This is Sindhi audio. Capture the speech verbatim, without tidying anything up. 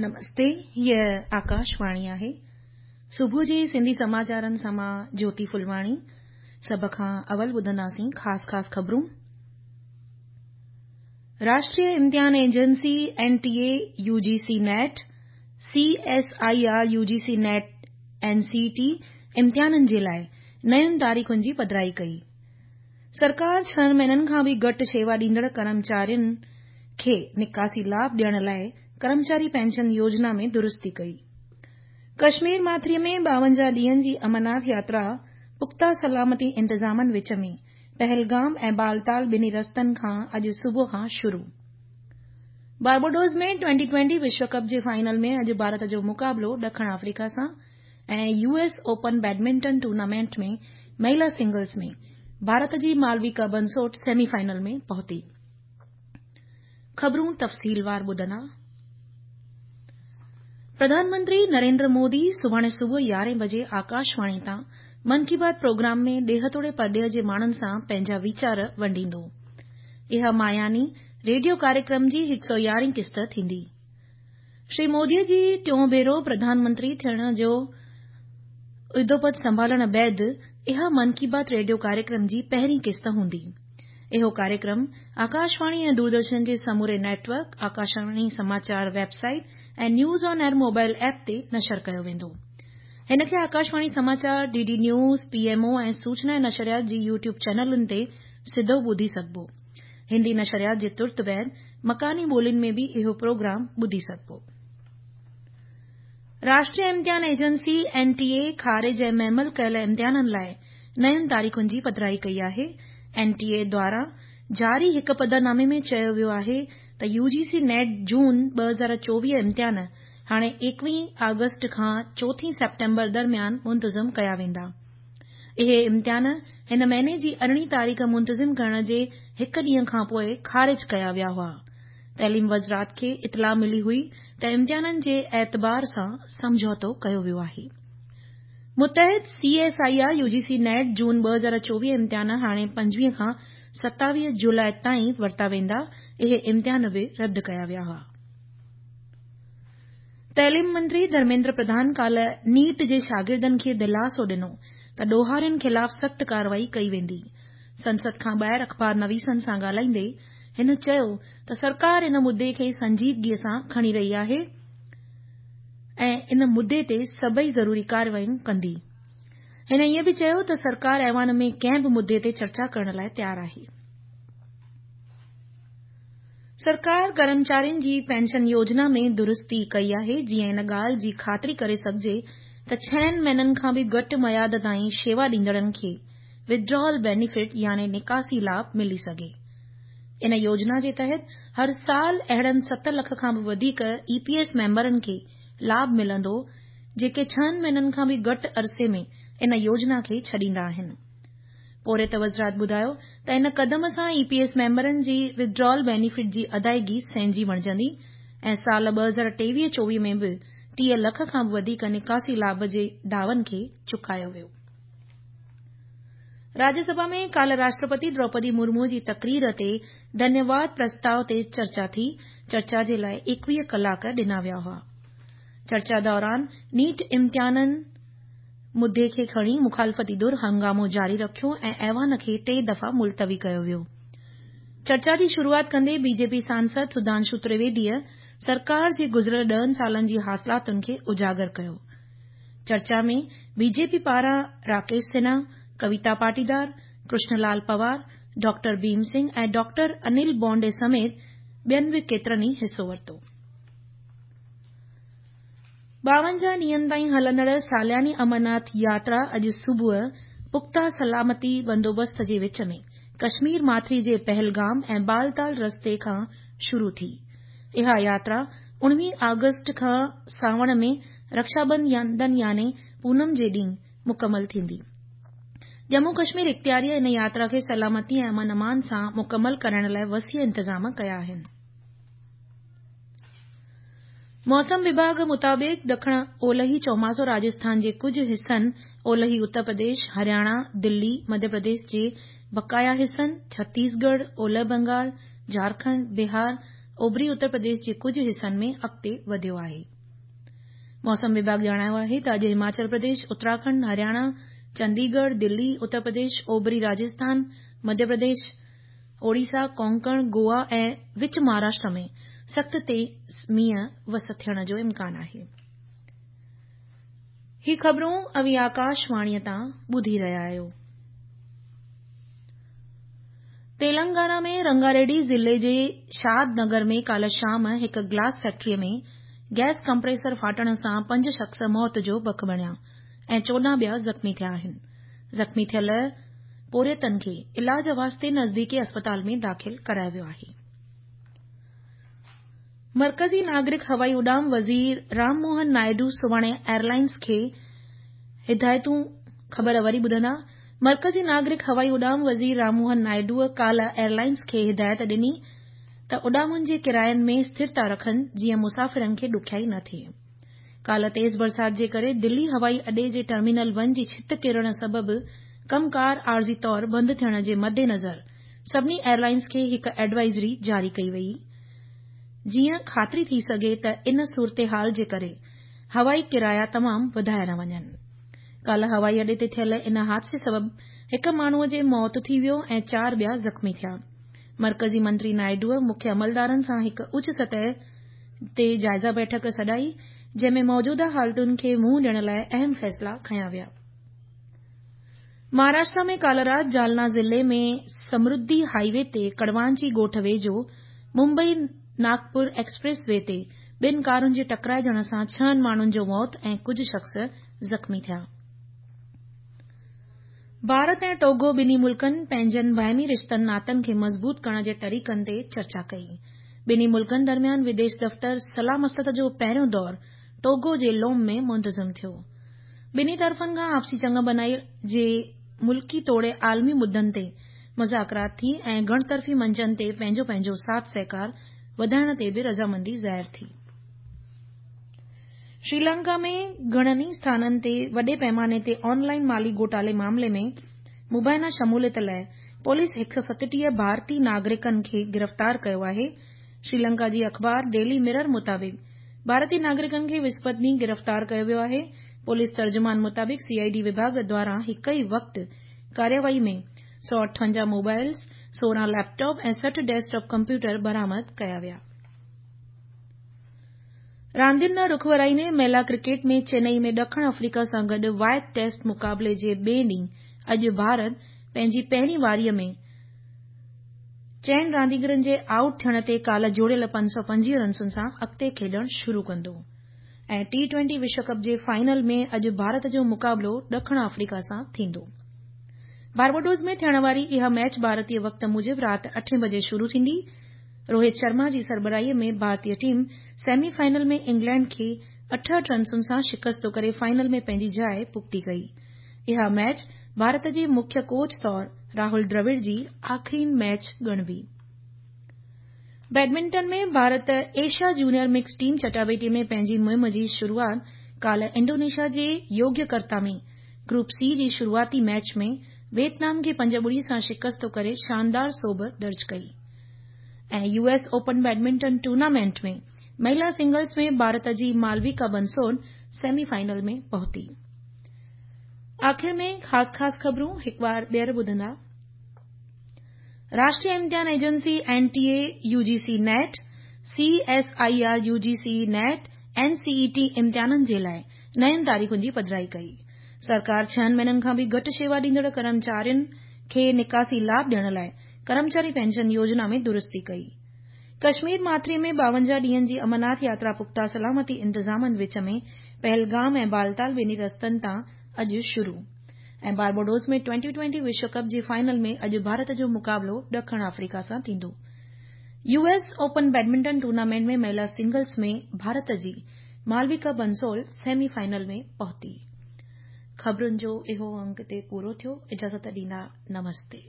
نمستي، هيء آڪاشواڻي آهي. صبح جي سنڌي سماچارن سان مان جيوتي ڦلواڻي. سڀ کان اول ٻڌنداسين خاص خاص خبرون. راشٽريه امتحان agency N T A U G C NET, C S I R U G C NET N C T امتحانن جي لاءِ نين تاريخن جي پڌرائي ڪئي. سرڪار ڇهن مهينن کان به گهٽ شيوا ڏيندڙ ڪرمچارين کي نڪاسي لاڀ ڏيڻ لاءِ ڪرمچاري پينشن يوجنا ۾ درستي ڪئي. ڪشمير ماٿريءَ ۾ ٻاونجاهه ڏينهن جي امرناٿ ياترا پختا سلامتي انتظامن وچ ۾ پهلگام ۽ بالتال ٻنهي رستن کان اڄ صبح کان شروع. بارباڊوس ۾ ٽوئنٽي ٽوئنٽي وشو ڪپ جي فائنل ۾ اڄ ڀارت جو مقابلو ڏکڻ آفريڪا سان ۽ U S open badminton tournament ۾ مهلا سنگلز ۾ ڀارت جي مالويڪا بنسوٽ سيمي فائنل ۾ پهتي. خبرون تفصيلوار ٻڌندا. پرڌان منتري نريندر مودي سڀاڻي صبح يارهين بجي آڪاشواڻي تان من ڪي بات پروگرام ۾ ڏيهه توڙي پرڏيهه جي ماڻهن سان پنهنجا ويچار ونڊيندو. اها ماهياني ريڊيو ڪاريڪرم جي هڪ سؤ يارهين قسط ٿيندي. شري موديء جي ٽيون ڀيرو پرڌان منتري ٿيڻ جو عهدو پد سنڀالڻ بعد اها من ڪي بات ريڊيو ڪاريڪرم جي پهرين قسط هوندي. اهو ڪاريڪرم آڪاشواڻي ۽ دوردرشن جي سموري net work, Akashvani Samachar website ۽ news on air mobile app تي نشر ڪيو ويندو. هن کي آڪاشواڻي سماچار، D D news, P M O ۽ سوچنا ۽ نشريات جي يوٽيوب چينلن تي سڌو ٻڌي سگهبو. هندي نشريات جي ترت بعد مڪاني ٻولين ۾ به اهو پروگرام ٻڌي سگهبو. راشٽريه امتحان ايجنسي اين ٽي اي خارج ۽ مهمل ڪيل امتحانن لاءِ نين تاريخن جي پڌرائي ڪئي آهي. اين ٽي اي دواران جاري هڪ پڌرنامي ۾ چيو ويو آهي ته يو جي سي نيٽ جون ٻه هزار چوويهه امتحان هاڻي ايڪويهين آگسٽ کان چوٿين سيپٽمبر درميان منتظم ڪيا ويندا. اهي امتحان هن مهيني جي ارڙهين تاريخ منتظم ڪرڻ جي هڪ ڏينهن کان پوءِ خارج ڪيا ويا هئا. تعليم وزارت کي اطلاع ملي هئي ته امتحانن جي اعتبار سان سمجهوتو ڪيو ويو آهي. متحد C S I R U G C NET جون ٻه هزار چوويهه امتحان هاڻي پنجويهه کان ستاويهه جولاءِ تائين ورتا ويندا. اهي امتحان به رد ڪيا ويا هئا. تعليم منتري ڌرميندر پرڌان ڪالهه نيٽ جي شاگردن کي دلاسو ڏنو ته ڏوهارين خلاف سخت ڪارروائي ڪئي ويندي. سنسد کان ٻاهر اخبار نويسن سان ڳالهائيندي هن چيو ته سرڪار ان مدعي کي سنجيدگيءَ سان کڻي رهي آهي ۽ ان مدعي تي سڀئي ضروري ڪارروايون ڪندي. هن ائين به چيو ته سرڪار ايوان ۾ ڪنهن به مدعي تي چرچا ڪرڻ لاءِ تيار آهي. سرڪار ڪرمچارين جي پينشن يوجنا ۾ درستي ڪئي آهي جيئن ان ڳالهه جي خاطري ڪري سگهجي ته ڇهن مهينن کان به گهٽ ميعاد تائين شيوا ڏيندڙن کي ودڊرال بينيفٽ يعني نڪاسي لاڀ ملي سگهي. ان يوجنا جي تحت هر سال اهڙن ست لک کان به وڌيڪ اي پي ايس ميمبرن کي لاڀ ملندو جيڪي ڇهن مهينن کان به گهٽ عرصي ۾ ان يوجنا کي ڇڏيندا آهن. پورهيت وزارت ٻڌايو ته ان قدم سان اي پي ايس ميمبرن جي ودڊرال بينيفٽ جي ادائيگي سهنجي بڻجندي ۽ سال ٻه هزار ٽيويهه چوويهه ۾ به ٽيهه لک کان به وڌيڪ نڪاسي لاڀ جي دعون کي چڪايو ويو. راجيه سڀا ۾ ڪالهه راشٽرپتي دروپدي مرمو جي تقرير تي ڌنيواد پرستاءُ تي چرچا ٿي. چرچا جي لاءِ ايڪويهه ڪلاڪ ڏنا ويا هئا. چرچا دوران نيٽ امتحانن مدعي کي کڻي مخالفتي ڌر هنگامو جاري رکيو ۽ ايوان کي ٽي دفعا ملتوي ڪيو ويو. چرچا جي شروعات ڪندي بي جي پي سانسد سڌانشو ترويديءَ سرڪار جي گذريل ڏهن سالن جي حاصلاتن کي اجاگر ڪيو. چرچا ۾ بي جي پي پاران راڪيش سنها، ڪويتا پاٽيدار، ڪرشن لال پوار، ڊاڪٽر ڀيم سنگهه ۽ ڊاڪٽر انيل بونڊي سميت ٻين به ڪيترن ئي حصو ورتو. ٻاونجاهه ڏينهن تائين هلندڙ سالياني امرناٿ ياترا اڄ صبح پختا سلامتي بندوبست جي وچ ۾ ڪشمير ماٿري جي پهلگام ۽ بالتال رستي کان شروع ٿي. اها ياترا اڻويهه آگسٽ کان سانوڻ ۾ رڪشا بنڌن يعني پونم جي ڏينهن مڪمل ٿيندي. ڄمون ڪشمير اختياريءَ ان ياترا کي سلامتي ۽ امن امان سان مڪمل ڪرائڻ لاءِ وسيع انتظام ڪيا آهن. موسم وڀاڳ مطابق ڏکڻ اولهي چوماسو راجسٿان جي ڪجهه حصن، اولهي اتر پرديش، هرياڻا، دلي، مڌيه پرديش جي بقايا حصن، ڇتيسڳڙهه، اولهه بنگال، جهارکنڊ، بهار، اوڀري اتر پرديش جي ڪجهه حصن ۾ اڳتي وڌيو آهي. موسم وڀاڳ ڄاڻايو آهي ته اڄ هماچل پرديش، اتراکنڊ، هرياڻا، چنديڳڙهه، دلي، اتر پرديش، اوڀري راجسٿان، مڌيه پرديش، اوڙيسا، ڪونڪڻ، گوا ۽ وچ مهاراشٽر ۾ سخت تيز مينهن وس ٿيڻ جو امڪان آهي. هي خبرون اوهين آڪاشواڻيء تان ٻڌي رهيا آهيو. تيلنگانا ۾ رنگاريڊي ضلعي جي شاد نگر ۾ ڪالهه شام هڪ گلاس فيڪٽري ۾ گئس ڪمپريسر ڦاٽڻ سان پنج شخص موت جو بک بڻيا ۽ چوڏهن ٻيا زخمي ٿيا آهن. زخمي ٿيل پورهيتن کي علاج واسطي نزديڪي اسپتال ۾ داخل ڪرايو ويو آهي. مرڪزي ناگرڪ هوائي اڏام وزير رام موهن نائيڊو سڀاڻي ايئرلائنز کي هدايتون خبر وري ٻڌندا. مرڪزي ناگرڪ هوائي اڏام وزير رام موهن نائيڊوء ڪالهه ايئرلائنز کي هدايت ڏني ته اڏامن جي ڪراين ۾ اسٿرتا رکن جيئن مسافرن کي ڏکيائي نه ٿئي. ڪالهه تيز برسات جي ڪري دلي هوائي اڏي جي ٽرمينل ون جي ڇت ڪرڻ سبب ڪم ڪار عارضي طور بند ٿيڻ جي مدنظر سڀني ايئرلائنز کي هڪ ايڊوائزري جاري ڪئي وئي جيئن خاطري ٿي سگهي ته ان صورتحال جي ڪري هوائي ڪرايا تمام وڌايا نه وڃن. ڪالهه هوائي اڏي تي ٿيل ان حادثي سبب هڪ ماڻهوء جي موت ٿي ويو ۽ چار ٻيا زخمي ٿيا. مرڪزي منتري نائيڊوء مکيه عملدارن سان هڪ اچ سطح تي جائزه بيٺڪ سڏائي جنهن ۾ موجوده حالتن کي منهن ڏيڻ لاء اهم فيصلا کنيا ويا. مهاراشٽر ۾ ڪالهه رات جالنا ضلعي ۾ سمردي هاءِ وي تي ڪڙوانچي ڳوٺ ويجهو ممبئي ناگپور ايڪسپريس وي تي ٻن ڪارن جي ٽڪرائجڻ سان ڇهن ماڻهن جو موت ۽ ڪجهه شخص زخمي ٿيا. ڀارت ۽ ٽوگو ٻنهي ملڪن پنهنجن باهمي رشتن ناتن کي مضبوط ڪرڻ جي طريقن تي چرچا ڪئي. ٻنهي ملڪن درميان وديش دفتر صلاح مصلحت جو پهريون دور ٽوگو جي لوم ۾ منتظم ٿيو. ٻنهي طرفن کان آپسي چڱ بنائي جي ملڪي توڙي عالمي مدن تي مذاڪرات ٿي ۽ گهڻ طرفي منچن تي پنهنجو پنهنجو ساٿ سهڪار وڌائڻ تي به رضامندي ظاهر ٿي. شريلنڪا ۾ گهڻن ئي اسٿانن تي وڏي پيماني تي آن لائن مالي گهوٽالي معاملي ۾ مبينا شموليت لاءِ پوليس هڪ سؤ ستٽيهه ڀارتي ناگرڪن کي گرفتار ڪيو آهي. شريلنڪا جي اخبار ڊيلي مرر مطابق ڀارتي ناگرڪن کي وسپت ڏينهن گرفتار ڪيو ويو آهي. پوليس ترجمان مطابق سي I D وڀاڳ دواران هڪ ئي وقت ڪارروائي ۾ سؤ اٺونجاهه موبائلز، سورهن ليپ ٽاپ ۽ سٺ ڊيسڪ ٽاپ ڪمپيوٽر برآمد ڪيا ويا. راندين ڏانهن رخ ورائيندي مهلا ڪرڪيٽ ۾ چنئي ۾ ڏکڻ آفريڪا سان گڏ وائيٽ ٽيسٽ مقابلي جي ٻئي ڏينهن اڄ ڀارت پنهنجي پهرين واريء ۾ چئن رانديگرن جي آئوٽ ٿيڻ تي ڪالهه جوڙيل پنج سؤ پنجويهه رنسن سان اڳتي کيڏڻ شروع ڪندو ۽ ٽي ٽوئنٽي وشو ڪپ جي فائنل ۾ اڄ ڀارت جو مقابلو ڏکڻ آفريڪا سان ٿيندو. بارباڊوس ۾ ٿيڻ واري اها ميچ ڀارتي وقت موجب رات اٺين بجي شروع ٿيندي. روهت شرما جي سربراهي ۾ ڀارتي ٽيم سيمي فائنل ۾ انگلينڊ کي اٺهٺ رنسن سان شڪست ڪري فائنل ۾ پنهنجي جاءِ پختي ڪئي. اها ميچ ڀارت جي مکيه ڪوچ طور راهول دراوڙ جي آخرين match ڳڻبي. Badminton ۾ Bharat Asia junior mix team چٽاڀيٽي ۾ پنهنجي مهم جي شروعات ڪالهه انڊونيشيا جي يوگياڪرتا ۾ گروپ سي جي شروعاتي ميچ ۾ ويٽنام کي پنج ٻڙي سان شڪست ڪري شاندار سوڀ درج ڪئي ۽ U S open badminton tournament ۾ مهلا سنگلز ۾ ڀارت جي مالويڪا بنسود سيمي فائنل ۾ پهتي. آخر ۾ خاص خاص خبرون هڪ بار ٻيهر ٻڌندا. راشٽريه امتحان agency N T A, U G C NET, C S I R U G C NET, N C E T امتحانن جي لاءِ نين تاريخن جي پڌرائي ڪئي. سرڪار ڇهن مهينن کان به گهٽ شيوا ڏيندڙ ڪرمچارين کي نڪاسي لاڀ ڏيڻ لاءِ ڪرمچاري پينشن يوجنا ۾ درستي ڪئي. ڪشمير ماٿري ۾ ٻاونجاهه ڏينهن جي امرناٿ ياترا پختا سلامتي انتظامن وچ ۾ پهلگام ۽ بالتال ٻنهي رستن تان اڄ شروع ۽ بارباڊوس ۾ ٽوئنٽي ٽوئنٽي وشو ڪپ جي فائنل ۾ اڄ ڀارت جو مقابلو ڏکڻ آفريڪا سان ٿيندو. U S open badminton tournament ۾ مهلا سنگلز ۾ ڀارت جي مالويڪا بنسول سيمي فائنل ۾ پهتي. خبرن جو اهو انڪ هتي پورو ٿيو. اجازت ڏيندا. نمستي.